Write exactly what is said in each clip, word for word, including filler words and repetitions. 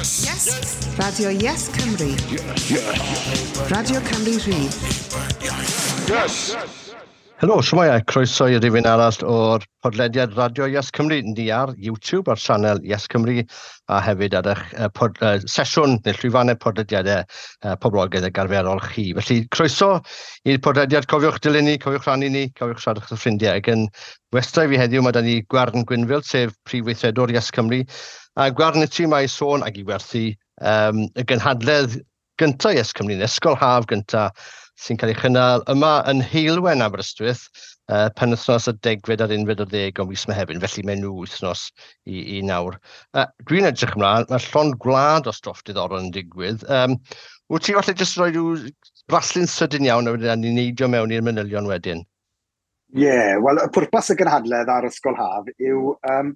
Yes. Yes. Radio Yes Cymru. Yes. Radio Cymru Rhydd. Yes. Helo, shwmae a croeso i rifyn arall o'r podlediad Radio Yes Cymru. Ni ar YouTube ar sianel Yes Cymru a hefyd ar eich uh, pod, uh, sesiwn neu llwyfannau podlediadau uh, poblogaidd ag arferol chi. Felly croeso i'r podlediad. Cofiwch dilyn ni, cofiwch rhannu ni, cofiwch siarad â'ch ffrindiau. Ac yn westai fi heddiw mae da ni Gwern Gwynfil, sef prif weithredwr Yes Cymru. A Gwern i ti mae sôn ac i werthu um, y gynhadledd gyntaf Yes Cymru, neu ysgol haf gyntaf sy'n cael ei chynnal yma yn Heulwen Aberystwyth, uh, penwythnos y degfed a'r unfed ar ddeg o mis Mehefin, felly mewn wythnos i, i nawr. Uh, Dwi'n edrych ymlaen, mae llond gwlad o stwff diddorol yn digwydd. Um, wyt ti falle jyst rhoi rhyw braslun sydyn iawn a wedyn ni'n neidio mewn i'r manylion wedyn? Ie, yeah, wel, y pwrpas y gynhadledd ar Ysgol Haf yw um,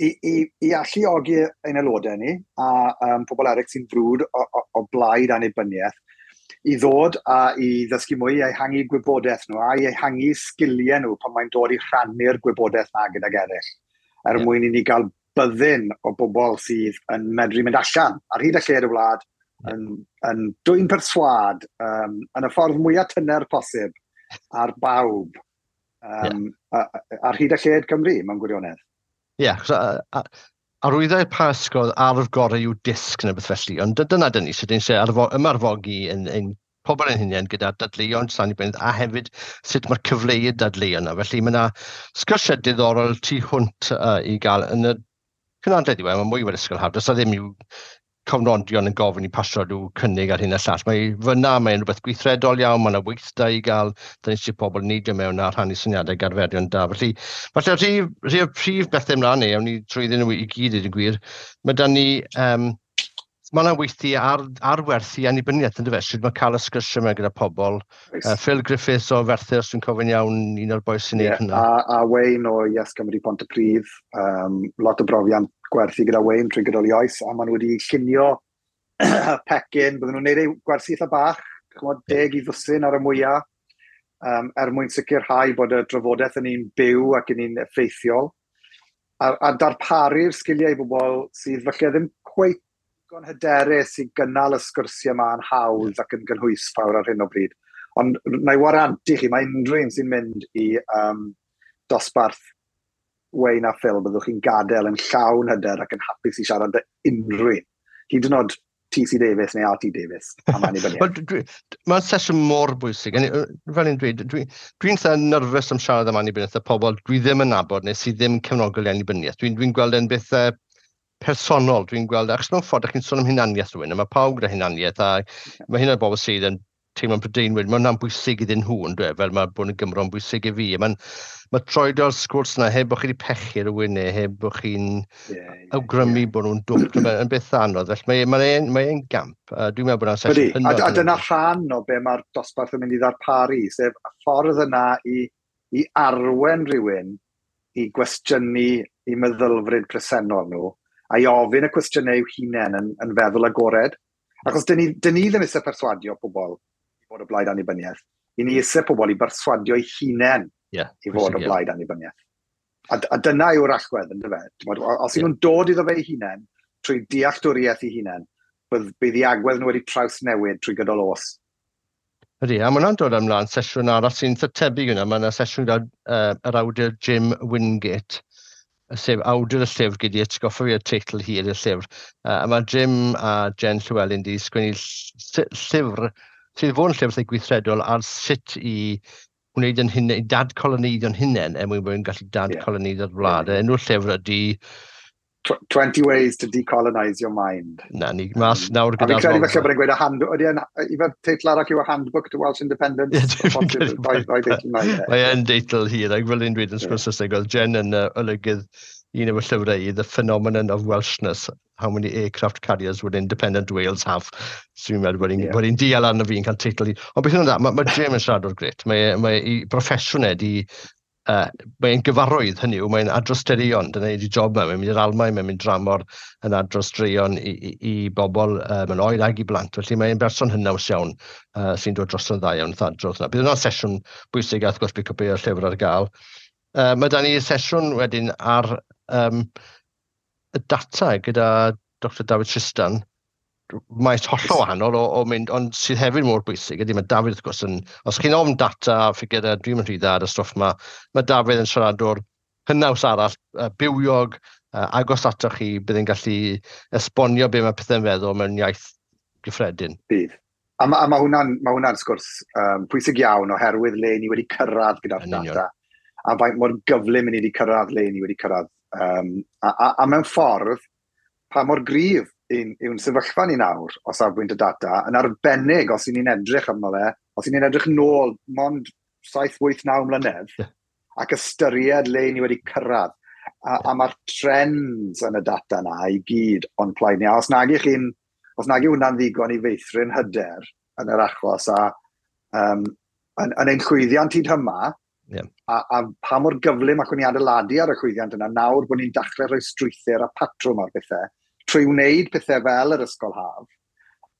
i, i, i alluogi ein aelodau ni a um, pobl eraill sy'n frwd o, o, o blaid annibyniaeth i ddod a i ddysgu mwy, i ehangu gwybodaeth nhw a i ehangu sgiliau nhw pan mae'n dod i rhannu'r gwybodaeth na gydag eraill. Er Ie. mwyn i ni gael byddin o bobl sydd yn medru mynd allan ar hyd a lled y wlad yn, yn dwyn perswâd um, yn y ffordd mwyaf tyner posib ar bawb um, yeah. ar hyd a lled Cymru mewn gwirionedd. Ie, yeah, arwyddau Pasg oedd arf gorau yw dysg neu beth felly, ond dy- dyna dyn ni, so dyn ni eisiau ymarfogi yn, yn pobl yn hunain gyda dadleuon annibyniaeth a hefyd sut mae'r cyfleu dadleuon yna. Felly mae yna sgyrsiau diddorol tu hwnt uh, i gael yn y cynadledd yw e, mae mwy fel ysgol haf, does 'na ddim i'w cofnodion yn gofyn i pasio rhyw cynnig ar hyn a llall. Mae fyna, mae'n rhywbeth gweithredol iawn, mae yna weithdai i gael, da ni eisiau pobl neidio mewn a rhannu syniadau arferion da. Felly, falle rhif, rhif o'r prif bethau ymlaen ni, awn ni trwyddyn nhw i gyd i gwir, mae da ni, um, mae yna weithdy ar, ar werthu annibyniaeth, yn dyfe, sut mae cael y sgyrsiau yma gyda pobl. Uh, Phil Griffiths o Ferthyr, os dwi'n cofio'n iawn, un o'r bois sy'n neud yeah, hynna. a, a Wayne o Yes Cymru Pontypridd, um, lot o brofiad gwerthu gyda Wayne trwy gydol ei oes, a maen nhw wedi llunio pecyn, bydden nhw'n neud eu gwersi eitha bach, ch'mod, deg i ddwsin ar y mwyaf, um, er mwyn sicrhau bod y drafodaeth yn un byw ac yn un effeithiol, a, a darparu'r sgiliau i bobl sydd falle ddim cweit digon hyderus i gynnal y sgyrsiau yma yn hawdd ac yn gynhwysfawr ar hyn o bryd. Ond na i warantu chi, mae unrhyw un sy'n mynd i um, dosbarth Wayne a Phil, byddwch chi'n gadael yn llawn hyder ac yn hapus i siarad â unrhyw un. Hyd yn oed T C Davies neu R T Davies am annibyniaeth. Wel, dwi- Mae'n sesiwn mor bwysig. A ni- Fel ni'n dweud, dwi'n dwi eitha nerfus am siarad am annibyniaeth y pobl dwi ddim yn nabod neu sydd ddim yn cefnogol i annibyniaeth. Dwi'n dwi gweld e'n beth uh, personol. Dwi'n gweld, achos mewn ffordd, ych chi'n sôn am hunaniaeth rhywun, a mae pawb gyda hunaniaeth, a mae hynny'n bobl sydd yn teimlo'n Prydeinwyr, mae hwnna'n bwysig iddyn nhw, yn dweud, fel mae bod yn Gymro'n bwysig i fi. Mae'n mae troedio'r sgwrs yna heb bod chi wedi pechu rhywun neu heb bod chi'n Yeah, yeah, awgrymu yeah. bod nhw'n dwp. Mae'n beth anodd. Felly mae'n mae e'n mae e'n gamp. Uh, dwi'n meddwl bod hwnna'n Ydy, sesiwn a, hynod. a dyna rhan o be mae'r dosbarth yn mynd i ddarparu, sef y ffordd yna i, i arwen rhywun i gwestiynu i meddylfryd presennol nhw, a i ofyn y cwestiynau i'w hunain yn, yn feddwl agored. Achos dyn ni, dyn ni ddim eisiau perswadio pobl i fod o blaid annibyniaeth. I ni eisiau pobl i berswadio eu hunain yeah, i fod o bwysig iawn. blaid annibyniaeth. A, a dyna yw'r allwedd, yn dyfe? T'mod, o- Os yw nhw'n dod iddo fe eu hunain, trwy dealltwriaeth eu hunain, bydd, bydd ei agwedd nhw wedi trawsnewid trwy gydol oes. Ydy, a mae hwnna'n dod ymlaen sesiwn arall sy'n eitha tebyg yna. Mae yna sesiwn gyda uh, yr awdur Jim Wingate, sef awdur y llyfr gyda atgoffa fi o'r teitl hir y llyfr. Uh, a mae Jim a Jen Llewellyn wedi sgwennu ll- llyfr sydd fod yn llyfr eitha gweithredol ar sut i wneud yn hunain, i dadcoloneiddio'n hunain er mwyn bod yn gallu dadcoloneiddio'r wlad. Yeah. Enw'r llyfr ydy, Tw- twenty ways to decolonise your mind. Na ni, mas nawr A fi'n gyda'r credu lolfa. falle bod e'n gweud a hand, ydy e'n, i fel teitl arall yw a Handbook to Welsh Independence? Ie, dwi'n Posib, credu rhoi- rhoi deitl yna, ie. Mae e'n deitl hir, ac fel un dweud yn sgwrs Saesneg, oedd Jen yn uh, olygydd un o'r llyfrau i, The Phenomenon of Welshness, How Many Aircraft Carriers Would Independent Wales Have? So fi'n meddwl bod hi'n Ie. bod hi'n dial arno fi yn cael teitl i. Ond beth yw'n dda, mae, mae Jim yn siaradwr grêt. Mae, mae ei broffesiwn e di, uh, mae'n gyfarwydd hynny yw, mae'n adrodd straeon, dyna ydi job e, mae'n mynd i'r Almaen, mae'n mynd dramor yn adrodd straeon i, i, i bobl um, yn oed ag i blant. Felly mae'n berson hynaws iawn uh, sy'n dod dros yn dda iawn wrth adrodd yna. Bydd hwnna'n sesiwn bwysig a wrth gwrs bydd cwpl o'r llyfr ar gael. Uh, mae da ni sesiwn wedyn ar um, y data gyda Doctor David Tristan, maes hollol wahanol o, o mynd, ond sydd hefyd mor bwysig ydy, mae David wrth gwrs yn, os chi'n ofn data a ffigurau, dwi'n mynd rhy dda ar y stwff yma, mae David yn siaradwr hynaws arall, uh, bywiog, uh, agos atoch chi, bydd yn gallu esbonio be mae pethau'n feddwl mewn iaith gyffredin. Bydd. A mae ma hwnna'n ma hwnna sgwrs um, pwysig iawn oherwydd le ni wedi cyrraedd gyda'r data. A faint mor gyflym ni wedi cyrraedd le ni wedi cyrraedd. Um, a, a, a mewn ffordd, pa mor gryf yw'n sefyllfa ni nawr o safbwynt y data, yn arbennig os y'n ni'n edrych arno fe, os y'n ni'n edrych nôl mond saith, wyth, naw mlynedd, yeah. ac ystyried le ni wedi cyrraedd. A, a mae'r trends yn y data na i gyd o'n plaid ni. A os nag ych chi'n Os nag yw hwnna'n ddigon i feithrin hyder yn yr achos a um, yn, yn ein llwyddiant hyd yma, yeah. a, a pa mor gyflym allwn ni adeiladu ar y llwyddiant yna, nawr bod ni'n dechrau rhoi strwythur a patrwm ar bethau, trwy wneud pethau fel yr ysgol haf.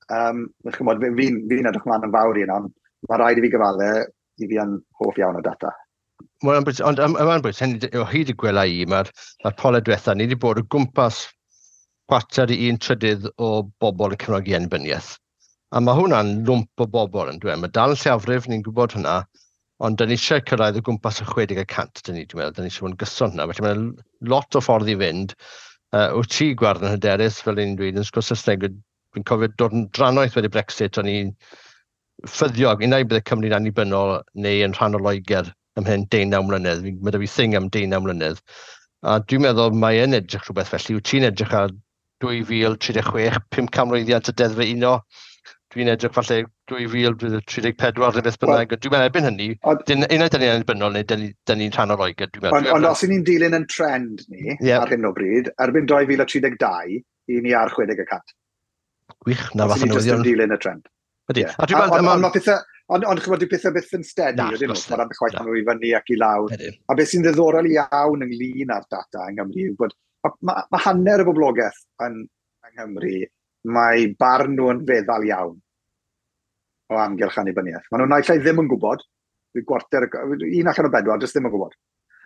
Um, chymod, fi'n fi edrych mlaen yn fawr i yna, ond mae rhaid i fi gyfadde i fi yn hoff iawn o data. Wel, ond mae'n bwysig, hynny o hyd y gwela i, mae'r ma polau diwetha, ni wedi bod o gwmpas chwarter i un trydydd o bobl yn cefnogi annibyniaeth. A mae hwnna'n lwmp o bobl yn dweud. Mae dal yn lleiafrif, ni'n gwybod hwnna, ond dyn ni eisiau cyrraedd o gwmpas y chwe deg y cant, dyn ni, dwi'n meddwl, dyn ni eisiau bod yn gyson hwnna. Felly mae'n lot o ffordd i fynd. Uh, wyt ti, Gwern, yn hyderus, fel ni'n dweud, yn sgwrs Saesneg, dwi'n cofio dod yn drannoeth wedi Brexit, o'n i'n ffyddiog, unai bydde Cymru'n annibynnol neu yn rhan o Loegr ymhen deunaw mlynedd. Mae 'da fi thing am deunaw mlynedd. A dwi'n meddwl mae yn edrych rhywbeth felly. Wyt ti'n edrych ar dwy fil tri deg chwech, pum canmlwyddiant y deddfau uno. Dwi'n edrych falle dwy fil tri deg pedwar neu beth bynnag. Dwi'n meddwl erbyn hynny, unai dyn ni'n annibynnol neu dyn ni'n rhan o Loegr. Dwi'n meddwl. Ond, ond os y'n ni'n dilyn yn trend ni yeah. ar hyn o bryd, erbyn dwy fil tri deg dau, i ni ar chwe deg y cant. Gwych, na fath o newyddion. Os ni'n dilyn y trend. Ydy. Yeah. A dwi'n meddwl... Ond ma pethau, ond, ond chymod, dyw pethau byth yn steady, ydyn nhw, mae'r ambell waith maen nhw i fyny ac i lawr. A beth sy'n ddiddorol iawn ynglyn â'r data yng Nghymru yw bod mae ma, ma hanner y boblogaeth yn, yng Nghymru, mae barn nhw yn feddal iawn o amgylch annibyniaeth. Maen nhw'n naill ai ddim yn gwybod, gwarter, un allan o bedwar, jyst ddim yn gwybod.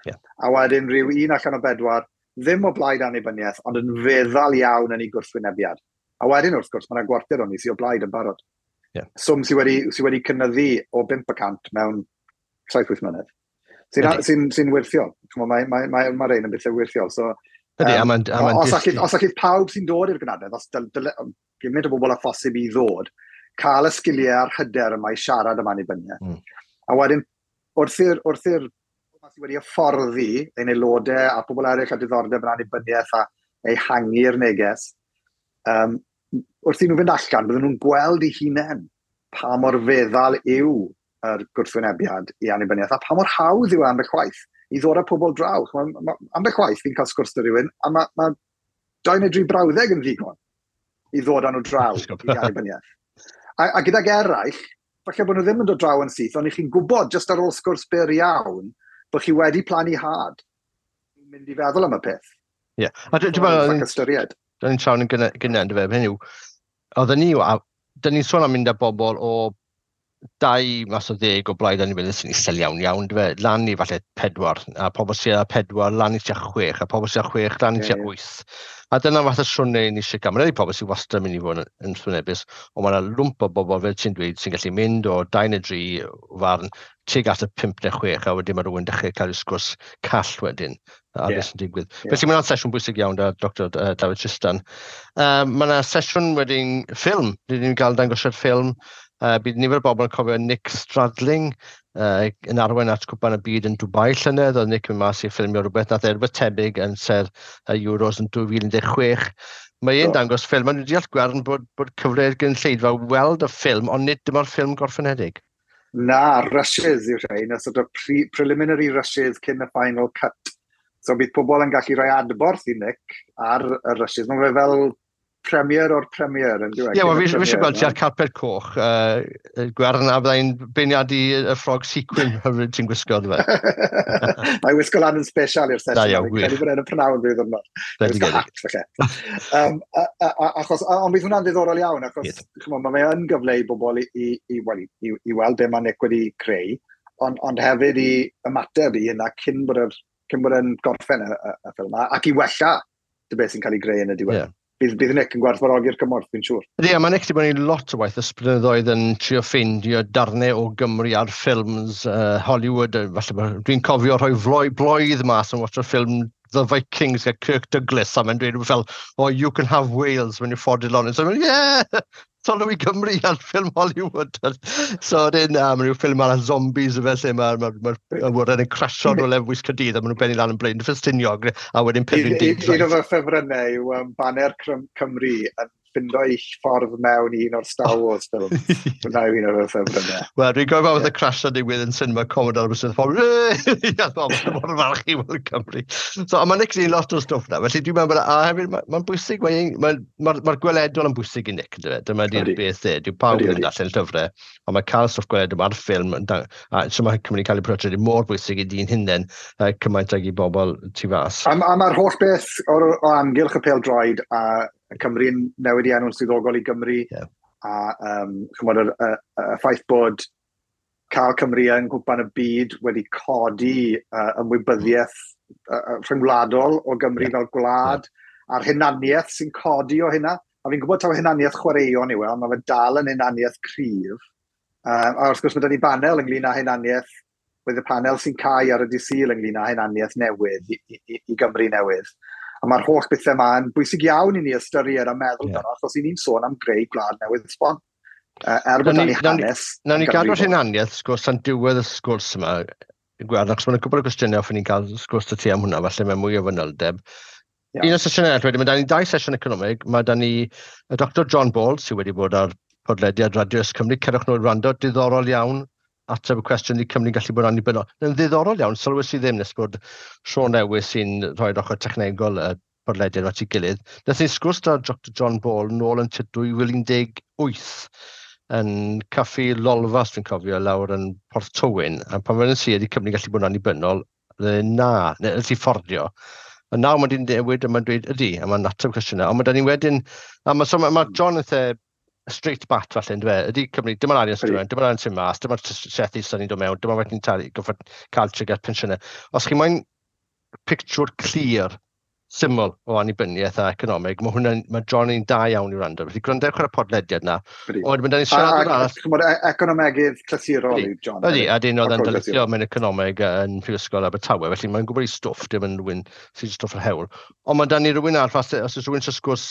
Yeah. A wedyn rhyw un allan o bedwar, ddim o blaid annibyniaeth, ond yn feddal iawn yn ei gwrthwynebiad. A wedyn, wrth gwrs, mae yna gwarter o'n i sydd o blaid yn barod. Yeah. Swm sydd wedi, sy wedi cynyddu o bump y cant mewn saith wyth mlynedd. Sy'n sy, sy wirthiol. Mae mae, mae, mae rhain yn bethau wirthiol. So, Ydy, um, a ma'n, a ma'n os, allith, os allith pawb sy'n dod i'r gynadledd, os dyl, dyl, gymaint o bobl â phosib i ddod, cael y sgiliau a'r hyder yma i siarad am annibyniaeth. Mm. A wedyn, wrth i'r wrth i'r sydd wedi hyfforddi ein aelodau a pobl eraill â diddordeb yn annibyniaeth a ehangu'r neges, um, wrth i nhw fynd allan, bydden nhw'n gweld eu hunain pa mor feddal yw yr gwrthwynebiad i annibyniaeth a pa mor hawdd yw e ambell waith i ddod â pobl draw. Ma, ma, ambell waith fi'n cael sgwrs 'da rhywun a mae ma dau neu dri brawddeg yn ddigon i ddod â nhw draw i annibyniaeth. A, a gydag eraill, falle bod nhw ddim yn dod draw yn syth, ond i chi'n gwybod jyst ar ôl sgwrs byr iawn bod chi wedi plannu had mynd i feddwl am y peth. Ie. Yeah. A dwi'n meddwl... Ystyried. Dyn ni'n trawn yn gynnau, yndyfe, hynny yw, oedden ni, dyn ni'n sôn am mynd â bobl o dau mas o ddeg o blaid annibyniaeth sy'n isel iawn iawn, yndyfe, lan i falle pedwar, a pobl sydd â pedwar, lan i tua chwech, a pobl sydd â chwech, lan i tua wyth. A dyna fath o siwrne ni eisiau gael. Mae'n rhaid pobl sydd wastad yn mynd i fod yn, yn wrthwynebus, ond mae yna lwmp o bobl, fel ti'n dweud, sy'n gallu mynd o dau neu dri farn tuag at y pump neu chwech, a wedyn mae rhywun dechrau cael ei sgwrs call wedyn ar yeah. beth sy'n digwydd. Yeah. Felly mae yna'n sesiwn bwysig iawn da Doctor David Tristan. Um, mae yna sesiwn wedyn ffilm, rydyn ni'n gael dangosiad ffilm. Uh, bydd nifer o bobl yn cofio Nick Stradling uh, yn arwain at Cwpan y Byd yn Dubai llynedd. Oedd Nick yn mynd mas i ffilmio rhywbeth, nath e rhywbeth tebyg yn ser y Euros yn dwy fil un deg chwech. Mae e'n Do. dangos ffilm, a dwi'n deall Gwern bod, bod cyfle i'r gynulleidfa weld y ffilm, ond nid dyma'r ffilm gorffenedig. Na, rushes yw'r rhain, a sort of pre preliminary rushes cyn y final cut. So bydd pobl yn gallu rhoi adborth i Nick ar y rushes. Mae fe fel premier o'r premier yn dweud. Ie, wel, fi fi eisiau gweld ti ar carpet coch, uh, Gwern, a byddai'n beirniadu y ffrog sequin hyfryd ti'n gwisgo, yndyfe? Mae'n wisgo lan yn special i'r Da sesiwn. iawn, Fi'n gwych. credu bod e'n y prynhawn rhyw ddiwrnod. Bendigedig. Wisgo hat, falle. Um, a, a, a, achos, a, ond bydd hwnna'n ddiddorol iawn, achos Bydd. ch'mo, mae yn gyfle i bobl i, i, i, wel, i, i weld be mae Nick wedi creu, ond, ond hefyd i ymateb i hynna cyn bod yr, cyn bod e'n gorffen y, y, y ffilm, ac i wella dy beth sy'n cael ei greu yn y diwedd. Ie. bydd, bydd Nick yn gwerthfawrogi'r cymorth, fi'n siŵr. Ydy, a mae Nick wedi bod yn lot o waith ys blynyddoedd yn trio ffeindio darnau o Gymru ar ffilms uh, Hollywood. Falle, dwi'n cofio rhoi floi, bloedd mas yn watcho ffilm The Vikings gyda Kirk Douglas, a mae'n dweud fel, "Oh, you can have Wales when you ford it on." So, yeah, sôn i Gymru ar ffilm Hollywood. So, dyn, uh, mae rhyw ffilm arall, zombies o fel lle mae'r ma, ma, ma awyren yn crasio rhywle fwys Caerdydd a maen nhw'n benni lan yn Blaen Ffestiniog a wedyn Penrhyn Deudraeth. Un o fy ffefrynnau yw um, baner Cymru yn ffindo ei ffordd mewn i un o'r Star Wars ffilm. Hwna yw un o'r ffefrynnau. Wel, dwi'n gofio yeah. y crash yn digwydd yn cinema Commodore Aberystwyth. Pobl, ie, mor falch i weld Cymru. So, a mae Nick yn lot o stwff na. Felly dwi'n meddwl, a hefyd, mae'n ma bwysig, mae'n ma, ma, ma gweledol yn bwysig i Nick, yndyfe? Dyma di'r beth e. Dyw pawb yn darllen llyfrau, ond mae cael stwff gweledol ar ffilm, a so mae Cymru'n cael ei portreadu mor bwysig i dyn hunain, cymaint ag i bobl tu fas. A, a mae'r holl beth o'r, o amgylch y pêl droed a Cymru'n newid i enw'n swyddogol i Gymru, yeah. a um, chymod, y, y, y ffaith bod cael Cymru yng Nghwpan y Byd wedi codi uh, ymwybyddiaeth uh, rhyngwladol o Gymru yeah. fel gwlad, yeah. a'r hunaniaeth sy'n codi o hynna. A fi'n gwybod taw hunaniaeth chwaraeon yw e, ond mae fe dal yn hunaniaeth cryf. Um, a wrth gwrs mae 'da ni banel ynglyn â hunaniaeth, bydd y panel sy'n cau ar y dydd Sul ynglyn â hunaniaeth newydd i, i, i Gymru newydd. A mae'r holl bethau yma yn bwysig iawn i ni ystyried a meddwl yeah. amdano, achos i ni'n sôn am greu gwlad newydd sbon. Uh, er bod ni hanes. Nawn ni gadw'r hunaniaeth sgwrs tan diwedd y sgwrs yma, gweld, achos mae'n gwybod y gwestiynau hoffwn ni'n cael sgwrs 'da ti am hwnna, falle mae mwy o fanyldeb. Yeah. Un o'r sesiynau eraill wedyn, mae da ni dau sesiwn economig, mae da ni y Doctor John Ball, sydd wedi bod ar podlediad Radio Yes Cymru, cerwch nhw'n rando, diddorol iawn, ateb y cwestiwn i Cymru'n gallu bod yn annibynnol. Yn ddiddorol iawn, sylwes i ddim nes bod Sean Lewis sy'n rhoi'r ochr technegol y podlediad at ei gilydd. Nath ni sgwrs da Doctor John Ball nôl yn dwy fil un deg wyth yn caffi Lolfa, dwi'n cofio, lawr yn Porth Tywyn. A pan fe'n si ydy Cymru'n gallu bod yn annibynnol, na, neu ydy fforddio. A nawr mae di'n newid a mae'n dweud ydy, a mae'n ateb cwestiynau. Ond mae da ni wedyn, a mae, so mae, ma John eitha straight bat falle, yn dweud, ydy Cymru, dyma'r arian sy'n dod mewn, dyma'r arian sy'n mas, dyma'r trethi sy'n ni'n dod mewn, dyma wedyn talu, goffod cael tuag at pensiynau. Os chi moyn pictiwr clir, syml o annibyniaeth a economeg, mae hwnna'n, mae John yn da iawn i wrando. Felly gwrandewch ar y podlediad na. Ond mae da ni siarad arall. Chymod, e- economegydd clasurol yw John. Ydy, a dyn oedd yn darlithio mewn economeg yn Prifysgol Abertawe, felly mae'n gwybod ei stwff, dim yn rhywun sy'n stwff yr hewl. Ond mae da ni rhywun arall, os oes rhywun sy'n sgwrs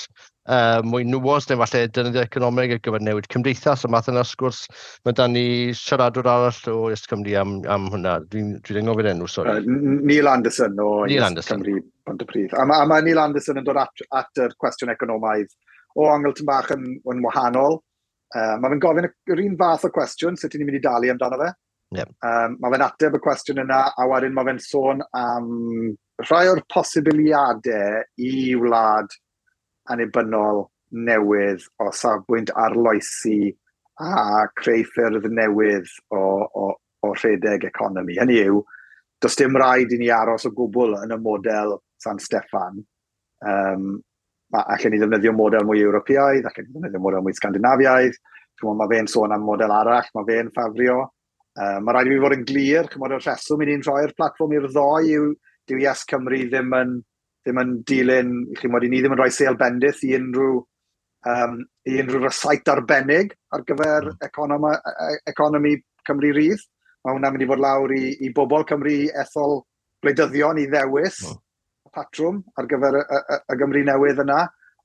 uh, mwy nuanced, neu falle defnyddio economeg ar gyfer newid cymdeithas, a math yna sgwrs, mae da ni siaradwr arall o Yes Cymru am, am hwnna. Dwi'n dwi anghofio'r enw, sori. Uh, Neil Anderson o Neil Anderson. Cymru Pontypridd. A mae, a mae Neil Anderson yn dod at, at yr cwestiwn economaidd o ongl tyn bach yn, yn wahanol. Uh, mae fe'n gofyn yr un fath o cwestiwn, sut ni'n mynd i dalu amdano fe. Yep. Um, mae fe'n ateb y cwestiwn yna, a wedyn mae fe'n sôn am rhai o'r posibiliadau i wlad annibynnol newydd o safbwynt arloesi a creu ffyrdd newydd o, o, o rhedeg economi. Hynny yw, does dim rhaid i ni aros o gwbl yn y model San Steffan. Um, allen ni ddefnyddio model mwy Ewropeaidd, allen ni ddefnyddio model mwy Scandinaviaidd. Chymod, mae fe'n sôn am model arall, mae fe'n ffafrio. Um, mae rhaid i fi fod yn glir, chymod, y rheswm i ni'n rhoi'r platfform i'r ddoi yw dyw Yes Cymru ddim yn, ddim yn dilyn, chymod, i ni ddim yn rhoi sêl bendith i unrhyw, um, i unrhyw rysait arbennig ar gyfer mm. economi, economi Cymru Rydd. Mae hwnna'n mynd i fod lawr i, i bobl Cymru ethol gwleidyddion i ddewis mm. patrwm ar gyfer y, y, y Gymru newydd yna.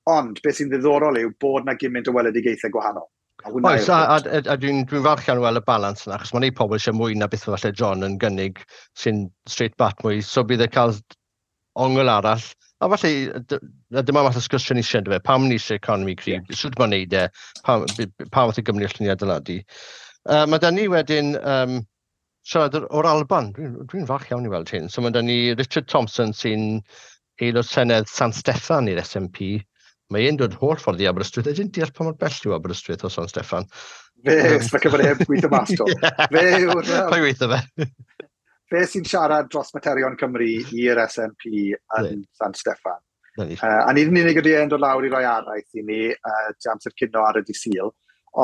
Ond beth sy'n ddiddorol yw bod na gymaint o weledigaethau gwahanol. Oes, a, a, a, a dwi'n dwi falch iawn weld y balans yna, achos mae'n ei pobl eisiau mwy na beth falle John yn gynnig sy'n straight bat mwy, so bydd e cael ongl arall. A falle, a dyma math o sgwrsio ni eisiau, yndyfe, pam ni eisiau economi cryf, yeah. sut mae'n neud e, pa, pa fath o Gymru allwn ni adeiladu. Uh, mae da ni wedyn um, siarad o'r Alban, dwi'n dwi falch iawn i weld hyn. So mae da ni Richard Thompson sy'n aelod Senedd San Steffan i'r S N P. Mae e'n dod holl ffordd i Aberystwyth. Ydyn deall pa mor bell yw Aberystwyth o San Steffan. Fe, mae cyfod heb gweithio mas to. Fe yw'r... Pa gweithio fe? Fe sy'n siarad dros materion Cymru i'r S N P yn San Steffan. Uh, a nid yn unig ydy e'n dod lawr i roi araith i ni uh, amser cinio ar y dydd Sul,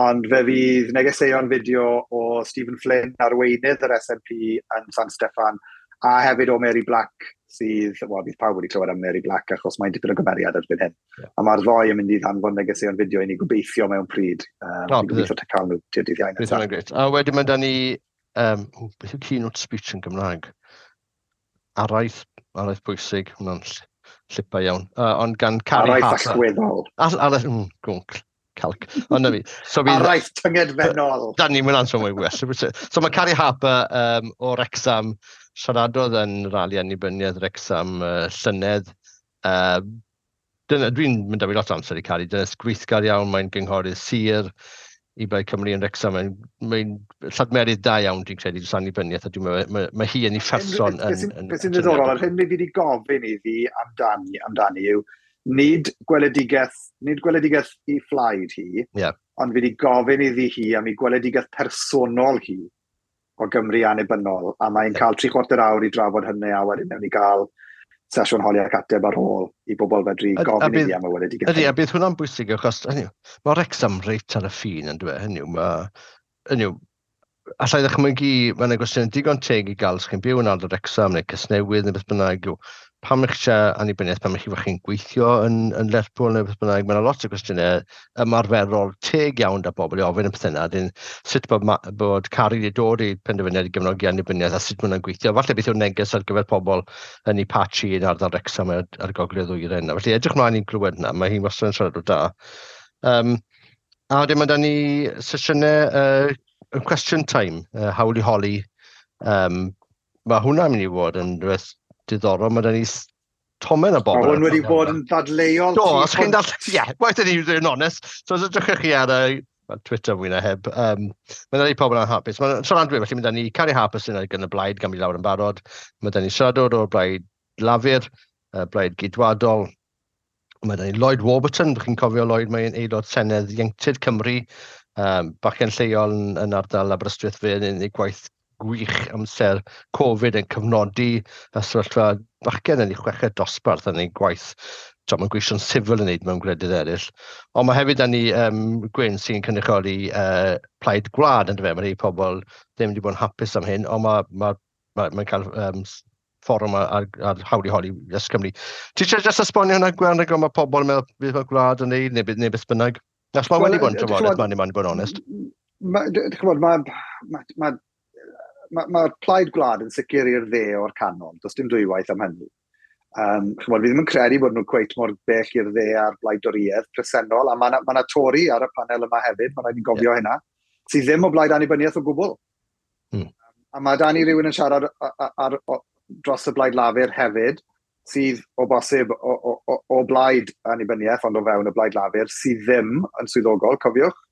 ond fe fydd negeseuon fideo o Stephen Flynn, arweinydd yr S N P yn San Steffan, a hefyd o Mary Black sydd, wel, bydd pawb wedi clywed am Mary Black achos mae'n dipyn o gymeriad erbyn hyn. Yeah. A mae'r ddoi yn mynd i ddanfon negeseuon fideo i ni gobeithio mewn pryd. Um, oh, gobeithio te cael nhw tu'r dydd Iau nesaf. Bydd. A wedyn mae da ni, um, oh, beth yw keynote speech yn Gymraeg? Araith, araith bwysig, hwnna'n llipa iawn. Uh, ond gan Carrie Araith allweddol. Araith, mm, gwnc. Calc. Ond na fi. So fydd, araith tyngedfennol. Da ni'n mynd answer mwy well. So mae Carrie Harper um, o Wrexham siaradodd yn rali annibyniaeth Wrexham uh, llynedd. Uh, dyna, dwi'n mynd â fi lot o amser i Carrie. Dyna gweithgar iawn, mae'n gynghorydd sir i Blaid Cymru yn Wrexham. Mae'n mae lladmerydd da iawn, dwi'n credu, dros annibyniaeth, a dwi'n meddwl, mae, mae hi yn ei pherson. Beth sy'n ddiddorol, yr hyn fi wedi gofyn iddi amdani, amdani yw, nid gweledigaeth, nid gweledigaeth i phlaid hi, yeah. ond fi wedi gofyn iddi hi am ei gweledigaeth personol hi o Gymru annibynnol, a mae'n cael tri chwarter awr i drafod hynny, a wedyn newn ni gael sesiwn holi ac ateb ar ôl i bobl fedru gofyn iddi am y weledigaeth. Ydy, a bydd hwnna'n bwysig, achos hynny, mae Wrexham reit ar y ffin yn dweud, hynny, mae, hynny, allai ddychmygu, mae yna gwestiwn digon teg i gael os chi'n byw yn ardal Wrexham neu Casnewydd neu beth bynnag, yw, pam eich eisiau annibyniaeth, pam eich chi'n gweithio yn, yn Lerpwl neu beth bynnag, mae yna lot o gwestiynau ymarferol teg iawn da bobl i ofyn y pethau yna, dyn sut bod, bod Carrie wedi dod i penderfyniad i gefnogi annibyniaeth a sut maen nhw'n gweithio. Falle beth yw'r neges ar gyfer pobl yn ei patchy yn ardal Wrexham ar, ar gogledd ddwyrain yna. Felly edrych mlaen i'n glywed yna, mae hi'n wastad yn siarad o da. Um, a wedyn mae da ni sesiynau uh, question time, uh, hawl i holi. Um, mae hwnna'n mynd i fod yn rhywbeth diddorol, mae da ni tomen o bobl. Mae hwn wedi bod yn ddadleuol. Do, os chi'n dal... Ie, waeth ni yn onest. So os ydych chi ar y Twitter mwy na heb, um, mae da ni pobl anhapus. Mae'n siarad dwi, felly mae da ni Carrie Harper sy'n gan y blaid, gan mi lawr yn barod. Mae da ni siaradwr o'r blaid Lafur, uh, blaid Geidwadol. Mae da ni Lloyd Warburton, chi'n cofio Lloyd, mae'n aelod Senedd Ieuenctid Cymru, um, bachgen lleol yn, yn ardal Aberystwyth fe yn ei gwaith gwych amser Covid yn cyfnodi y sefyllfa bachgen yn ei chweched dosbarth yn ei gwaith. Mae'n gweision sifil yn wneud mewn gwledydd eraill. Ond mae hefyd ni um, Gwyn sy'n cynrychioli uh, Plaid Gwlad yn dyfe. Mae rhai pobl ddim wedi bod yn hapus am hyn, ond mae ma, ma, mae'n cael um, fforwm ar, ar, ar hawl i holi Yes Cymru. Ti eisiau jyst esbonio hwnna, Gwen, rhaid mae pobl yn meddwl beth mae gwlad yn neud, neu, neu beth bynnag? Nas mae wedi bod yn trafodaeth, mae'n mae'n bod yn onest. Mae'r ma, ma, ma, mae'r Plaid Gwlad yn sicr i'r dde o'r canol, does dim dwywaith am hynny. Um, chymod, fi ddim yn credu bod nhw'n cweit mor bell i'r dde a'r blaid Dorïaidd presennol, a mae yna ma Tory ar y panel yma hefyd, mae'n rhaid i gofio yeah. hynna, sydd ddim o blaid annibyniaeth o gwbl. Hmm. A mae da ni rhywun yn siarad ar, ar, ar, dros y blaid Lafur hefyd, sydd o bosib o, o, o, o blaid annibyniaeth, ond o fewn y blaid Lafur, sydd ddim yn swyddogol, cofiwch.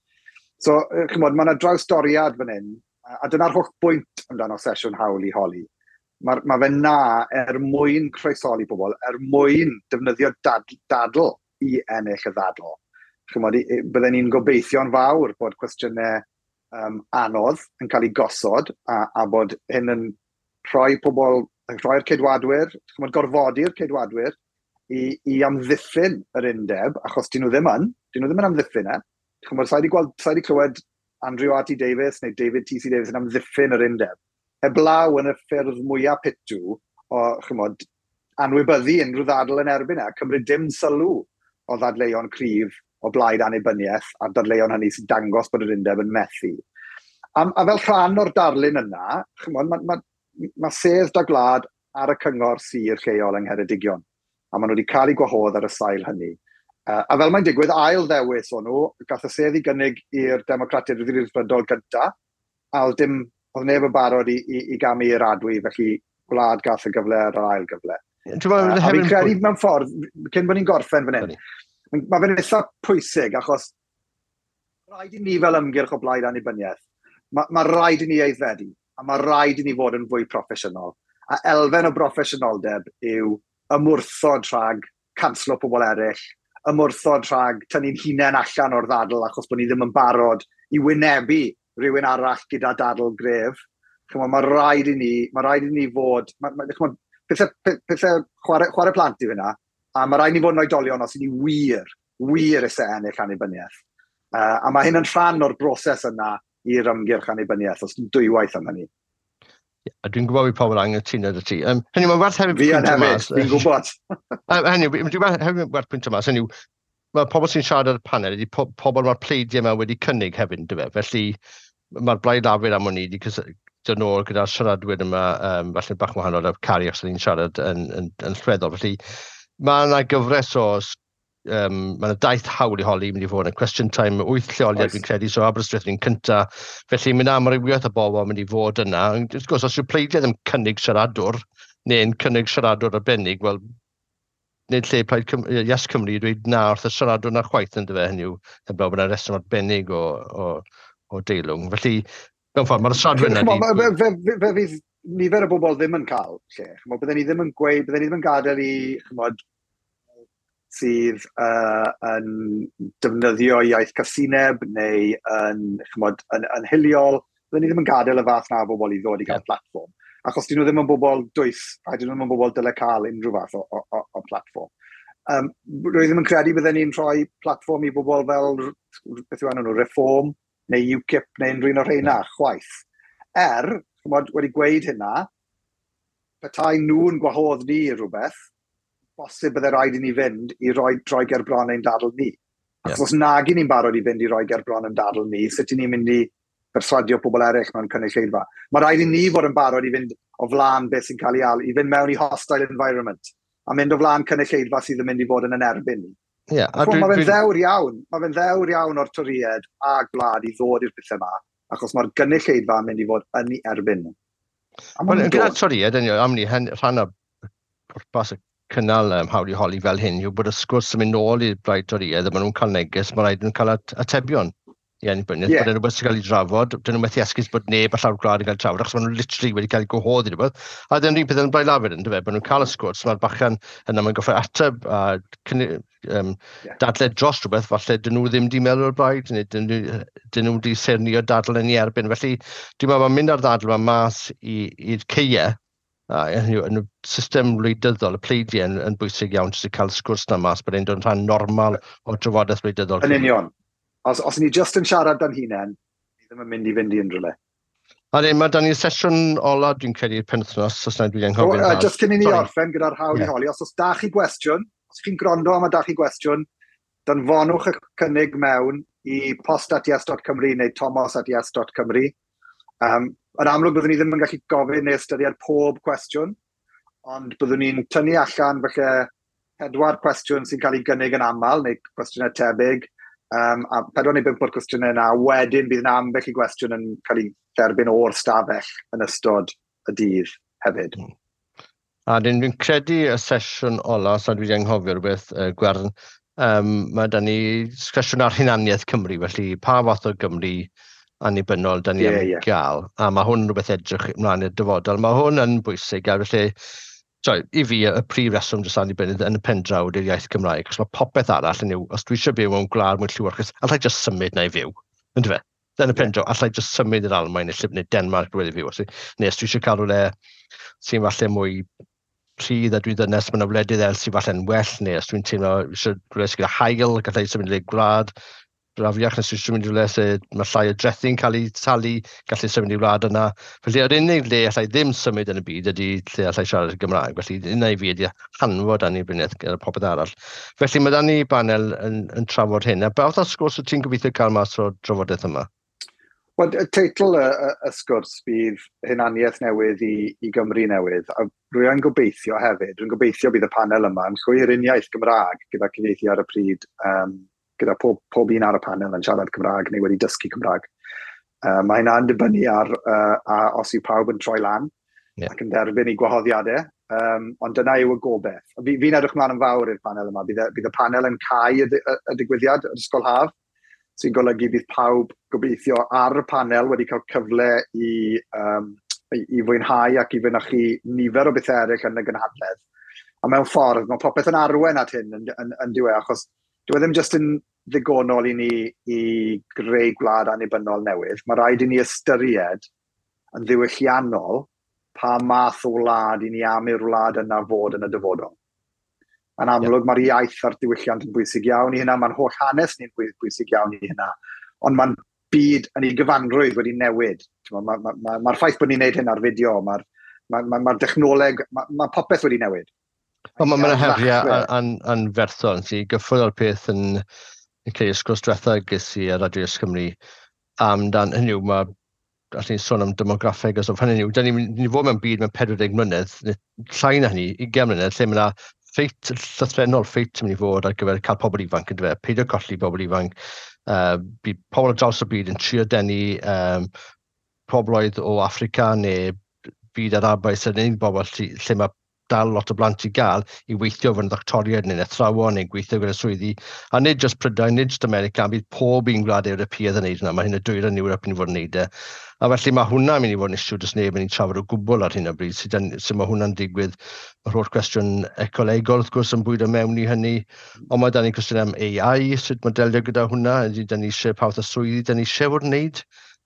So, chymod, mae yna drawsdoriad fan hyn, a dyna'r holl bwynt amdano sesiwn hawl i holi. Mae, mae fe na er mwyn croesoli pobl, er mwyn defnyddio dad, dadl i ennill y ddadl. Chymod, bydden ni'n gobeithio'n fawr bod cwestiynau um, anodd yn cael ei gosod a, a bod hyn yn rhoi pobl, rhoi'r ceidwadwyr, chymod, gorfodi'r ceidwadwyr i, i amddiffyn yr undeb, achos dyn nhw ddim yn, dyn nhw ddim yn amddiffyn e. Chymod, sa i wedi gweld, sa i wedi clywed Andrew R T Davies neu David T C Davies yn amddiffyn yr undeb. Heblaw yn y ffyrdd mwyaf pitw o, chymod, anwybyddu unrhyw ddadl yn erbyn e, a cymryd dim sylw o ddadleuon cryf o blaid annibyniaeth a'r dadleuon hynny sy'n dangos bod yr undeb yn methu. A, a fel rhan o'r darlun yna, chymod, mae ma, ma sedd da gwlad ar y cyngor sir lleol yng Ngheredigion, a maen nhw wedi cael eu gwahodd ar y sail hynny. Uh, a fel mae'n digwydd, ail ddewis o'n nhw, gath y sedd i gynnig i'r Democratiaid Rhyddfrydol gynta, a oedd dim, oedd neb yn barod i, i, i gamu i'r adwy, felly gwlad gath y gyfle ar yr ail gyfle. Uh, a fi'n credu mewn ffordd, cyn bod ni'n gorffen fan hyn, mae fe'n eitha pwysig, achos rhaid i ni fel ymgyrch o blaid annibyniaeth, mae ma rhaid i ni aeddfedu, a mae rhaid i ni fod yn fwy proffesiynol. A elfen o broffesiynoldeb yw ymwrthod rhag canslo pobl eraill, ymwrthod rhag tynnu'n hunain allan o'r ddadl achos bod ni ddim yn barod i wynebu rhywun arall gyda dadl gref. Chymod, mae rhaid i ni, mae rhaid i ni fod, ma, ma, chymod, pethau, pethau chwarae, chwarae plant yw hynna, a mae rhaid i ni fod yn oedolion os i ni wir, wir eisiau ennill annibyniaeth. Uh, a mae hyn yn rhan o'r broses yna i'r ymgyrch annibyniaeth, os dwywaith am hynny. A dwi'n gwybod bod pobl angytuno 'da ti. Um, hynny, mae'n werth hefyd Fi yn hefyd, fi'n gwybod. Hynny, dwi'n hefyd werth pwyntio mas, hynny, mae pobl sy'n siarad ar y panel ydy po pobl mae'r pleidiau yma wedi cynnig hefyd, yndyfe? Felly mae'r Blaid Lafur am wn i wedi dod nôl gyda'r siaradwyr yma, um, falle bach wahanol ar Cari os ni'n siarad yn, yn, yn lleddol. Felly mae yna gyfres o um, mae yna daith hawl i holi mynd i fod yn question time wyth lleoliad fi'n credu, so Aberystwyth ni'n cynta. Felly mae'n amrywiaeth o bobl mynd i fod yna. Wrth gwrs, os yw pleidiau ddim cynnig siaradwr, neu'n cynnig siaradwr arbennig, wel, nid lle Plaid Cym Yes Cymru i dweud na wrth y siaradwr na chwaith yn dyfe, hynny yw, heblaw bod yna reswm arbennig o, o, o deilwng. Felly, mewn ffordd, mae'r siaradwyr yna... Fe, fe, fe, fe fydd nifer o bobl ddim yn cael lle. Chymod, bydden ni ddim yn gweud, bydden ni ddim yn gadael i, chymod, sydd uh, yn defnyddio iaith casineb neu yn, chymod, yn, yn hiliol, bydden ni ddim yn gadael y fath na o bobl i ddod i gael yeah. platfform. Achos dyn nhw ddim yn bobl dwys, a dyn nhw ddim yn bobl dyle cael unrhyw fath o, o, o, o platfform. Um, rwy ddim yn credu bydden ni'n rhoi platfform i bobl fel, beth yw enw nhw, Reform, neu UKIP, neu unrhyw un o'r rheina, chwaith. Er, chymod, wedi gweud hynna, petai nhw'n gwahodd ni i rhywbeth, bosib bydde rhaid i ni fynd i roi droi ger bron ein dadl ni. Achos yeah. os nag i ni'n barod i fynd i roi ger bron ein dadl ni, sut i ni'n mynd i berswadio pobl eraill mewn cynulleidfa? Mae rhaid i ni fod yn barod i fynd o flaen beth sy'n cael ei alw, i fynd mewn i hostile environment, a mynd o flaen cynulleidfa sydd yn mynd i fod yn yn erbyn ni. Yeah, a dwi, mae fe'n ddewr iawn, mae fe'n ddewr iawn o'r Torïaid a gwlad i ddod i'r pethau yma, achos mae'r gynulleidfa yn mynd i fod yn ei erbyn nhw. Wel, gyda'r Torïaid, am ni, rhan o pwrpas y cynnal um, hawl i holi fel hyn yw bod y sgwrs yn mynd nôl i'r Blaid Torïaidd a maen nhw'n cael neges, mae rhaid nhw'n cael at atebion i annibyniaeth, yeah. bod e'n rhywbeth sy'n cael ei drafod, dyn nhw'n methu esgus bod neb ar llawr gwlad yn cael ei trafod, achos maen nhw literally wedi cael eu gwahodd i rhywbeth. A dyn nhw'n peth yn Blaid Lafur yn dyfe, bod nhw'n cael y sgwrs, mae'r bachan yna mae'n goffo ateb a um, yeah. dadle dros rhywbeth, falle dyn nhw ddim di meddwl o'r blaid, neu dyn nhw, dyn nhw wedi sernio dadl yn ei erbyn. Felly, dwi'n meddwl mae'n mynd ar ddadl yma mas i'r ceie, a yn y system wleidyddol, y pleidiau yn, yn bwysig iawn jyst i cael sgwrs na mas, bod e'n dod yn rhan normal o drafodaeth wleidyddol. Yn union. Os, os ni just yn siarad dan hunain, ni ddim yn mynd i fynd i unrhyw le. A dyn, mae dan ni'r sesiwn ola, dwi'n credu, penwythnos, os na dwi'n anghofio. Oh, uh, just cyn i ni orffen gyda'r hawl yeah. i holi, os oes da chi gwestiwn, os chi'n gwrando am a da chi gwestiwn, danfonwch y cynnig mewn i post at yes dot cymru neu tomos at yes dot cymru. Um, yn amlwg byddwn ni ddim yn gallu gofyn neu ystyried pob cwestiwn, ond byddwn ni'n tynnu allan falle pedwar cwestiwn sy'n cael ei gynnig yn aml, neu cwestiynau tebyg, um, a pedwar neu bump o'r cwestiynau yna, wedyn bydd yna ambell i gwestiwn yn cael ei dderbyn o'r stafell yn ystod y dydd hefyd. A dyn dwi'n credu y sesiwn ola, os na dwi wedi anghofio rhywbeth, uh, Gwern, um, mae da ni sesiwn ar hunaniaeth Cymru, felly pa fath o Gymru annibynnol da ni yeah, am yeah. gael. A mae hwn yn rhywbeth edrych ymlaen i'r dyfodol. Mae hwn yn bwysig, a felly, sorry, i fi, y prif reswm dros annibyniaeth yn y pen draw ydy'r iaith Cymraeg, achos mae popeth arall yn yw, os dwi eisiau byw mewn gwlad mwy llewyrchus, allai just symud na i fyw, yndyfe? Yn y pen draw, allai just symud i'r Almaen neu, neu Denmark rhywle i fyw. Neu os dwi eisiau cael rhywle sy'n falle mwy rhydd a dwi'n ddynes, mae yna wledydd eraill sy'n falle'n well, neu os dwi'n teimlo eisiau rhywle sy'n gyda haul, gallai symud i gwlad brafiach, nes dwi'n symud i rhywle lle mae llai o drethi'n cael ei talu, gallu symud i wlad yna. Felly, yr unig le allai ddim symud yn y byd ydy lle allai siarad y Gymraeg. Felly, yna i fi ydy hanfod annibyniaeth gyda popeth arall. Felly, mae da ni banel yn, yn trafod hyn. A beth o sgwrs wyt ti'n gobeithio cael mas o'r drafodaeth yma? Wel, y teitl y, y, y sgwrs bydd hunaniaeth newydd i, i Gymru newydd. A rwy'n gobeithio hefyd, rwy'n gobeithio bydd y panel yma yn llwyr uniaith Gymraeg gyda cyfieithu ar y pryd, um, gyda pob, pob un ar y panel yn siarad Cymraeg neu wedi dysgu Cymraeg. Uh, mae hynna'n dibynnu ar uh, a os yw pawb yn troi lan yeah. ac yn derbyn i gwahoddiadau, um, ond dyna yw y gobeith. Fi, fi'n edrych mlaen yn fawr i'r panel yma. Bydd y, bydd y panel yn cau y, y, y digwyddiad, yr ysgol haf, sy'n golygu bydd pawb gobeithio ar y panel wedi cael cyfle i, um, i, i fwynhau ac i fynychu nifer o bethau eraill yn y gynhadledd. A mewn ffordd, mae popeth yn arwen at hyn yn, yn, yn diwedd, achos dyw e ddim jyst yn ddigonol i ni i greu gwlad annibynnol newydd. Mae rhaid i ni ystyried yn ddiwylliannol pa math o wlad i ni am i'r wlad yna fod yn y dyfodol. Yn amlwg, yeah. mae'r iaith a'r diwylliant yn bwysig iawn i hynna, mae'n holl hanes ni'n bwysig iawn i hynna, ond mae'n byd yn ei gyfanrwydd wedi newid. Mae'r ma, ma, ma, ma ffaith bod ni'n neud hyn ar fideo, mae'r ma, ma, ma dechnoleg, mae ma popeth wedi newid. Ond mae yna heriau anferthol. Nes i gyffwrdd o'r peth yn, yn creu sgwrs diwetha ges i ar Radio Yes Cymru amdan, hynny yw, mae allwn ni sôn am demograffeg a stwff, hynny yw, da ni'n ni fod mewn byd mewn pedwar deg mlynedd, neu llai na hynny, ugain mlynedd, lle mae yna ffeit llythrennol, ffeit yn mynd i fod ar gyfer cael pobl ifanc yn dweud, peidio colli pobl ifanc. Uh, bydd pobl ar draws y byd yn trio denu um, pobloedd o Affrica neu byd Arabaidd sy'n unig bobl lle, lle mae dal lot o blant i gael i weithio fod yn ddoctoriaid neu'n athrawon neu'n gweithio gyda swyddi. A nid jyst Prydain, nid jyst America, bydd pob un gwlad Ewropeaidd yn neud hwnna. Mae hyn y dwyrain Ewrop yn i fod yn neud e. A felly mae hwnna'n mynd i fod yn issue does neb yn ei trafod o gwbl ar hyn o bryd. Sut, sut mae hwnna'n digwydd. Mae'r holl cwestiwn ecolegol wrth gwrs yn bwydo mewn i hynny. Ond mae da ni cwestiwn am A I, sut mae delio gyda hwnna. Ydy da ni eisiau pa fath o swyddi da ni eisiau fod yn neud.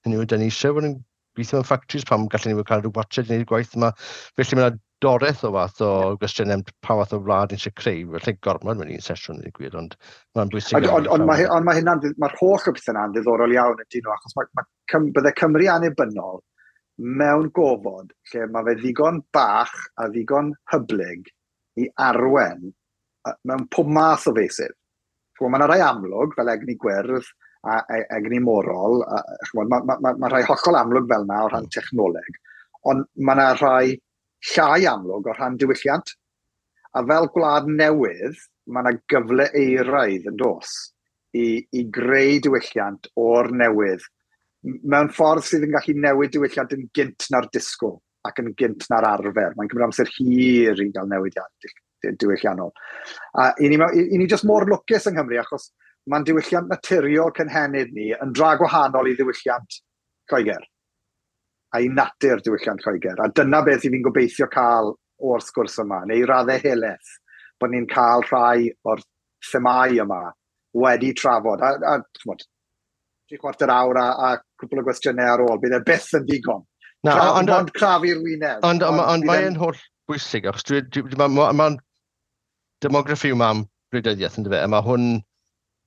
Hynny yw, da ni eisiau fod yn gweithio mewn factories, pam gallen ni cael rhyw watched i wneud gwaith yma. Felly mae yna doreth o fath o gwestiynau am pa fath o wlad ni eisiau creu. Felly gormod mewn un sesiwn i gwir, ond mae'n bwysig. Ond iawn ond, ond mae, ond mae hynna'n, mae'r holl o bethau yna'n ddiddorol iawn yn dyn nhw, achos mae, mae Cym, bydde Cymru annibynnol mewn gofod lle mae fe ddigon bach a ddigon hyblyg i arwen mewn pob math o feysydd. Mae yna rai amlwg fel egni gwyrdd a egni morol, mae ma, ma, ma, ma rhai hollol amlwg fel yna o rhan technoleg, ond mae yna rhai llai amlwg o rhan diwylliant. A fel gwlad newydd, mae yna gyfle eiraidd yn dos i, i greu diwylliant o'r newydd mewn ffordd sydd yn gallu newid diwylliant yn gynt na'r disgwyl ac yn gynt na'r arfer. Mae'n cymryd amser hir i gael newidiad diwylliannol. A i ni, i ni jyst mor lwcus yng Nghymru achos mae'n diwylliant naturiol cynhenid ni yn dra gwahanol i ddiwylliant Lloegr a i natur diwylliant Lloegr. A dyna beth i fi'n gobeithio cael o'r sgwrs yma, neu i raddau helaeth, bod ni'n cael rhai o'r themâu yma wedi trafod. A, a ch'mod, tri chwarter awr a, a cwpl o gwestiynau ar ôl, bydd e byth yn ddigon. Na, Cra- ond- ond crafu'r wyneb. Ond ond ond bydd mae'n e'n- holl bwysig, achos dwi, dwi, dwi, ma, ma, demograffi yma am gwleidyddiaeth, yndyfe, a mae hwn,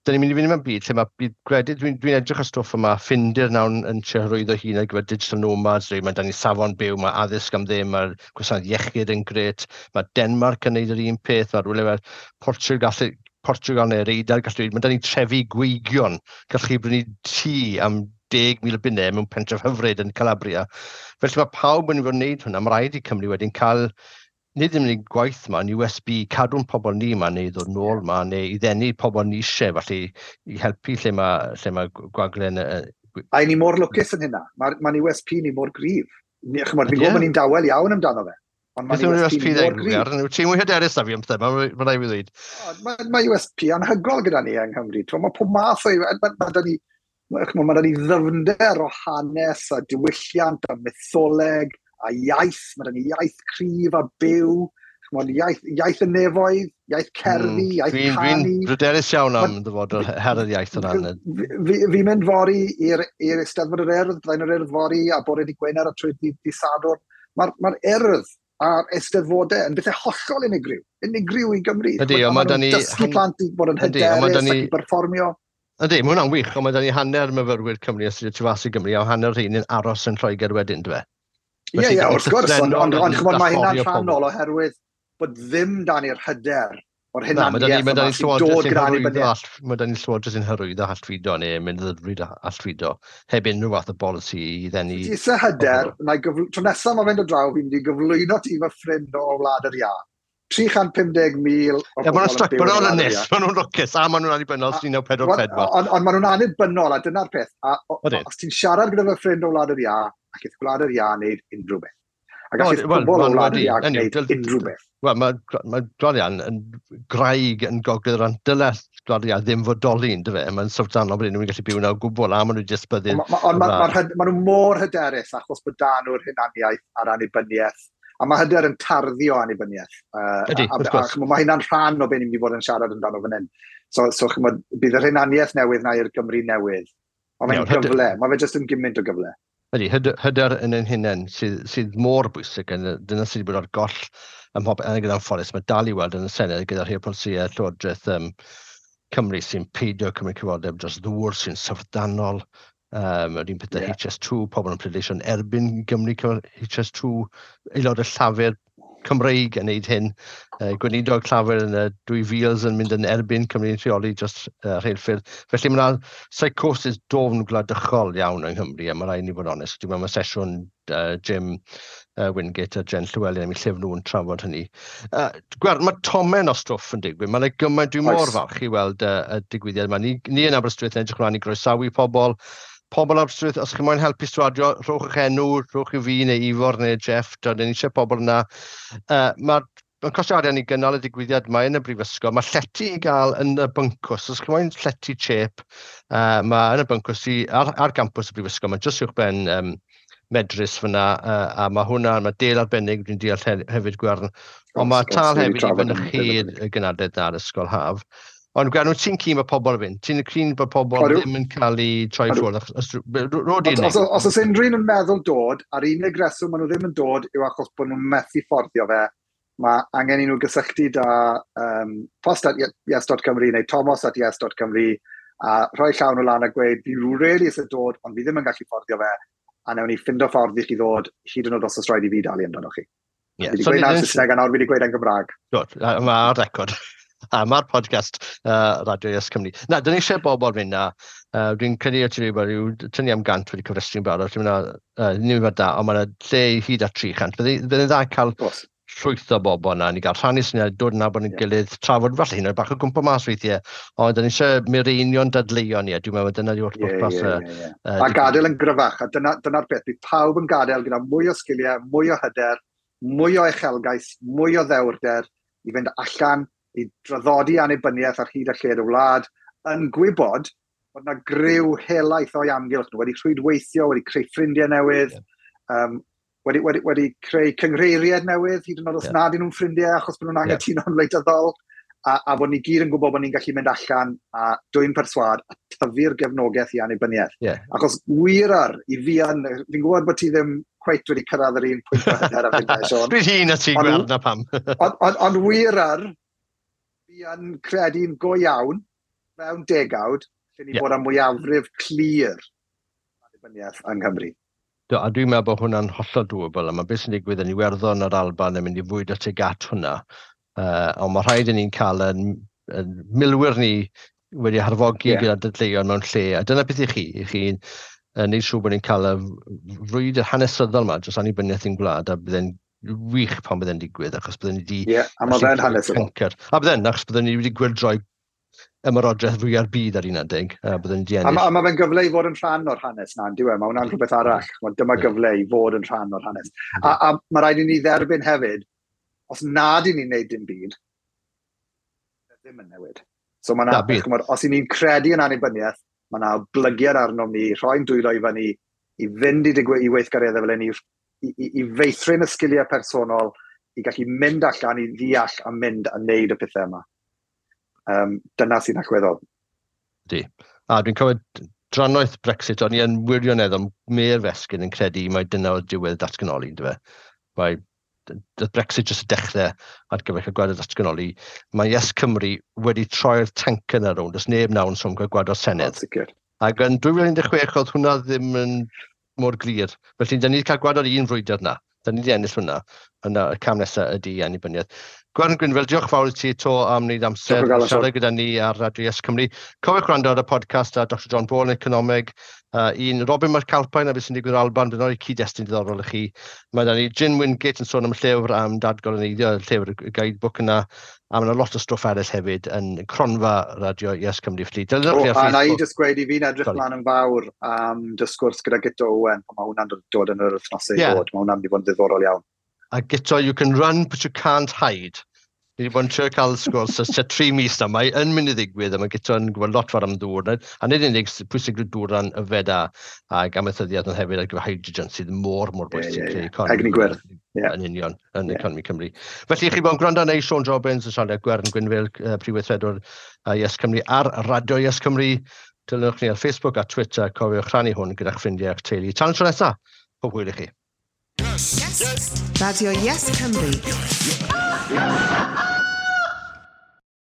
da ni'n mynd i fynd mewn byd lle mae byd gwledydd, dwi'n dwi edrych ar stwff yma, Ffindir nawr yn, yn trio hyrwyddo hun ar gyfer digital nomads, mae da ni safon byw, mae addysg am ddim, mae'r gwasanaeth iechyd yn grêt, mae Denmark yn neud yr un peth, mae rhywle fel Portugal, Portugal neu'r Eidal, gallu, mae da ni trefi gweigion, gallwch chi brynu tŷ am deg mil o bunnau mewn pentref hyfryd yn Calabria. Felly mae pawb yn mynd i fod yn neud hwnna, mae rhaid i Cymru wedyn cael nid ddim yn gwaith yma, yn U S B, cadw'n pobl ni yma, neu ddod nôl yma, neu i ddenu pobl ni eisiau, felly i helpu lle mae, lle mae gwaglen, yy, A i ni mor lwcus yn hynna. Mae'r ma U S P ni mor gryf. Ni, ch'mod, fi'n Ydy e? gwybod bod ni'n dawel iawn amdano fe. Ond mae'n Beth yw'r U S P U S P ni mor ddeud, gryf. Gwiar? Wyt ti'n mwy hyderus na fi am pethau, ma' ma' raid fi ddweud. O, Mae ma U S P anhygoel gyda ni yng Nghymru. T'mo, mae pob math o... Mae ma da ni, ma, ma da ni ddyfnder o hanes a diwylliant a mytholeg a iaith. Mae da ni iaith cryf a byw. Ch'mod, iaith, iaith y nefoedd, iaith cerddi, Mm, iaith Dwi'n canu. dwi'n bryderus iawn am Ma- ddyfodol her yr iaith o ran y- Fi, fi, fi'n mynd fory i'r i'r Eisteddfod yr Urdd, byddai'n yr Urdd fory a bore dydd Gwener a trwy dydd, dydd Sadwrn. Mae'r ma Urdd a'r Eisteddfodau yn bethau hollol unigryw, unigryw i Gymru. Ydy, Ch'mod, ond ma' ma' 'da nhw'n ni dysgu han- plant i bod yn Ydy, ond ma' hyderus 'da ni ac i berfformio. Ydy, mae hwnna'n wych, ond mae 'da ni hanner myfyrwyr Cymru yn astudio tu fas i Gymru, a hanner rhein yn aros yn Lloegr wedyn, dyfe? Ie, Felly, ie, wrth gwrs, ond, ond, ond ch'mod, mae hynna'n allforio pobl. rhannol oherwydd bod ddim dan ni'r hyder o'r Na, mae 'da ni, hunaniaeth mae 'da yma ni sy'n llywodraeth dod sy'n gyda hyrwyddo annibyniaeth. all, mae 'da ni llywodraeth sy'n hyrwyddo allfudo neu mynd ddrud allfudo, heb unrhyw fath o bolisi i ddenu Ti eisiau hyder, pobl. na i gyfl- tro nesaf mae fe'n dod draw, fi'n mynd i gyflwyno ti fy ffrind o Wlad yr Iâ. tri chant pum deg mil o Ie, ma' nhw'n bobl yn stuck, byw ma' yn nhw'n Wlad yr ynys, Iâ. ma' nhw'n lwcus, a ma' nhw'n annibynnol A- un naw pedwar Wel, pedwar. Ond ond ma' nhw'n annibynnol, a dyna'r peth. A o- Ydyn. os ti'n siarad gyda fy ffrind o Wlad yr Iâ, ac eith Gwlad yr Iâ wneud unrhyw beth. A O, gallith wel, pobl o ma' nhw Wlad yr wedi. Iâ Anyway, gwneud dyl- unrhyw beth. Wel, mae ma Gwlad yr Iâ yn graig yn gogledd yr Dyle Gwlad yr Iâ ddim fodoli, yndyfe? Mae'n syfrdanol bod unrhyw un gallu byw yna o gwbl, a maen nhw jyst byddu Ond ma- ma- ond ma- wlad. ma'r hyd- ma' nhw mor hyderus achos bod da nhw'r hunaniaeth a'r annibyniaeth. A mae hyder yn tarddu o annibyniaeth. Yy, Ydy, a, a, wrth gwrs. a, ch'mo', mae hynna'n rhan o be ni'n mynd i fod yn siarad amdano fan hyn. So, so ch'mod, bydd yr hunaniaeth newydd na i'r Gymru newydd. Ond mae'n Iawn, hyder- gyfle, mae fe jyst yn gymaint o gyfle. Ydy, hyder, hyder yn ein hunain sydd, sydd mor bwysig, yn, dyna sydd wedi bod ar goll ym mhob, yn gyda'n ffordd, mae dal i weld yn y Senedd gyda rhai o polisïau Llywodraeth um, Cymru sy'n peidio cymryd cyfrifoldeb dros ddŵr sy'n syfrdanol. Um, yr un peth yeah. H S two, pobl yn pleidleisio yn erbyn Gymru H S two, aelod y Llafur Cymreig yn neud hyn. Uh, gweinidog Llafur yn y dwy fil yn mynd yn erbyn Cymru'n rheoli dros uh, rheilffyrdd. Felly mae yna psychosis dofn gwladychol iawn yng Nghymru, a mae rhaid ni fod yn onest. Dwi'n meddwl mae sesiwn uh, Jim uh, Wingate a Jen Llywelyn am eu llyfr nhw'n trafod hynny. Uh, Gwern, mae tomen o stwff yn digwydd. Mae'n gymaint, dwi'n mor falch i weld uh, y digwyddiad yma. Ni, ni yn Aberystwyth yn edrych ymlaen i groesawu pobl. Pobl Aberystwyth, os chi moyn helpu stiwardio, rhowch eich enw, rhowch i fi neu Ifor neu Jeff, dyn ni eisiau pobl yna. Uh, Mae'r ma costio arian i gynnal y digwyddiad mae yn y brifysgol. Mae llety i gael yn y byncws. Os chi moyn llety chep, uh, mae yn y byncws i, ar, ar gampws y brifysgol. Mae jyst uwchben um, Medrus fyna, uh, a mae hwnna, mae del arbennig, dwi'n deall hefyd Gwern. Ond mae tal hefyd i fynychu y gynadledd na'r ysgol haf. Ond Gwern, wyt ti'n keen bod pobl yn fynd? Ti'n keen bod pobl ddim yn cael eu troi ffwrdd? Os, os oes unrhyw un yn meddwl dod, a'r unig reswm maen nhw ddim yn dod yw achos bod nhw'n methu fforddio fe. Mae angen i nhw gysylltu da um, post at yes dot cymru neu tomos at yes dot cymru a rhoi llawn nhw lan a gweud, fi really eisiau dod, ond fi ddim yn gallu fforddio fe, a newn ni ffindo ffordd i chi ddod, hyd yn oed os oes rhaid i fi dalu amdano chi. Yeah. Fi wedi so gweud na'r Saesneg a nawr fi wedi gweud yn Gymraeg. Good, mae ar record. A mae'r podcast uh, Radio Yes Cymru. Na, dyn ni eisiau bobl fynd na. Uh, dwi'n credu o ti rhywbeth rhyw tynnu am gant wedi cyfrestru'n barod. Dwi'n meddwl, uh, nifer da, ond mae'n lle i hyd at tri chant. Bydd yn dda cael llwyth o bobl yna, ni gael rhannu syniad, dod yn nabod yn yeah. gilydd, trafod falle hyn oed bach o gwmpa mas weithiau, ond dyn ni eisiau mireinio'n dadleuon ni, a dwi'n meddwl dyna yw'r pwrpas. Yeah, yeah, yeah, yeah. A gadael yn gryfach, a dyna'r dyna beth, bydd pawb yn gadael gyda mwy o sgiliau, mwy o hyder, mwy o uchelgais, mwy o ddewrder, i fynd allan, i draddodi annibyniaeth ar hyd a lled y wlad, yn gwybod bod yna griw helaeth o'i amgylch nhw, wedi rhwydweithio, wedi creu ffrindiau newydd, yeah. um, wedi, wedi, wedi creu cynghreiriad newydd, hyd yn oed os yeah. nad ydyn nhw'n ffrindiau achos bod nhw'n anghytuno'n yeah. wleidyddol, a, a bod ni gyd yn gwybod bod ni'n gallu mynd allan a dwyn perswâd a tyfu'r gefnogaeth i annibyniaeth. Yeah. Achos wir ar, i fi yn, fi'n gwybod bod ti ddim cweit wedi cyrraedd yr un pwynt o hyder a fi'n Sean. Dwi'n hun a ti'n gweld na pam. Ond on, on wir ar, fi yn credu'n go iawn, mewn degawd, lle ni yeah. bod â mwyafrif clir annibyniaeth yng Nghymru. Do, a dwi'n meddwl bod hwnna'n hollol doable, a mae beth sy'n digwydd yn Iwerddon a'r Alban yn mynd i fwyd at tuag at hwnna. Uh, ond mae rhaid i ni'n cael yn, yn milwyr ni wedi harfogi yeah. gyda dadleuon mewn lle. A dyna beth i chi, i chi'n uh, neud siŵr bod ni'n cael y frwydr hanesyddol yma dros annibyniaeth i'n gwlad, a byddai'n wych pan byddai'n digwydd, achos byddwn ni wedi... Ie, yeah, a mae fe'n hanesyddol. A byddai'n, achos byddwn ni wedi gwyrdroi ymerodraeth fwya'r byd ar un adeg, a byddwn ni wedi ennill. A, a mae fe'n gyfle i fod yn rhan o'r hanes na, on'd yw e? Mae hwnna'n rhywbeth arall. Dyma gyfle i fod yn rhan o'r hanes. A, a mae rhaid i ni dderbyn hefyd, os nad i ni'n neud dim byd, ddim yn newid. So mae na, ch'mod, os i ni'n credu yn annibyniaeth, mae na oblygiad arnom ni, rhoi'n dwylo i fyny, i fynd i, digwy, i weithgareddau fel hyn, i, i, i feithrin y sgiliau personol, i gallu mynd allan, i ddeall a mynd a neud y pethau yma. Um, dyna sy'n allweddol. Di. A dwi'n cofio drannoeth Brexit, o'n i yn wirioneddol mêr fesgyn yn credu mai dyna oedd diwedd datganoli, yndyfe? Mae Brexit jyst y dechrau ar gyfer cael gwared datganoli. Mae Yes Cymru wedi troi'r tank yna rownd, does neb nawr yn sôn cael gwared o'r Senedd. Sicr. Ac yn dwy fil un deg chwech oedd hwnna ddim yn mor glir. Felly, da ni wedi cael gwared o'r un frwydr yna. Da ni wedi ennill hwnna. Yna, y cam nesaf ydy annibyniaeth. Gwern Gwynfil, diolch fawr i ti to am wneud amser siarad gyda ni ar Radio Yes Cymru. Cofiwch gwrando ar y podcast a Doctor John Ball yn economeg, uh, un Robin McAlpine a beth sy'n digwydd Alban, bydd yn cyd-destun diddorol i chi. Mae da ni Jim Wingate yn sôn am y llyfr am dadgoloneiddio, y llyfr y guidebook yna, a mae yna lot o stwff eraill hefyd yn cronfa Radio Yes Cymru. Felly, oh, a na i jyst gweud i fi'n edrych mlaen yn fawr am dy sgwrs gyda Guto Owen, mae hwnna'n dod yn yr wythnosau i ddod, mae hwnna'n mynd i fod yn ddiddorol iawn. A Guto, you can run but you can't hide. Ni wedi bod yn trio cael sgwrs ers tua tri mis na, mae yn mynd i ddigwydd, a mae Guto yn gwybod lot fawr am ddŵr. A nid unig pwysigrwydd dŵr ran yfed a, ac amaethyddiaeth ond hefyd ar gyfer hydrogen sydd mor, mor bwysig. Yeah, yeah, yeah. Egni gwyrdd. Yeah. Yn union, yn yeah. economi Cymru. Felly, chi bod yn gwrando neu Siôn Jobbins yn siarad â Gwern Gwynfil, uh, Prif Weithredwr uh, Yes Cymru ar Radio Yes Cymru. Dilynwch ni ar Facebook a Twitter, cofiwch rhannu hwn gyda'ch ffrindiau a'ch teulu. Tan y tro nesaf, pob hwyl i chi. Yes. Yes. Radio Yes Cymru. Yeah.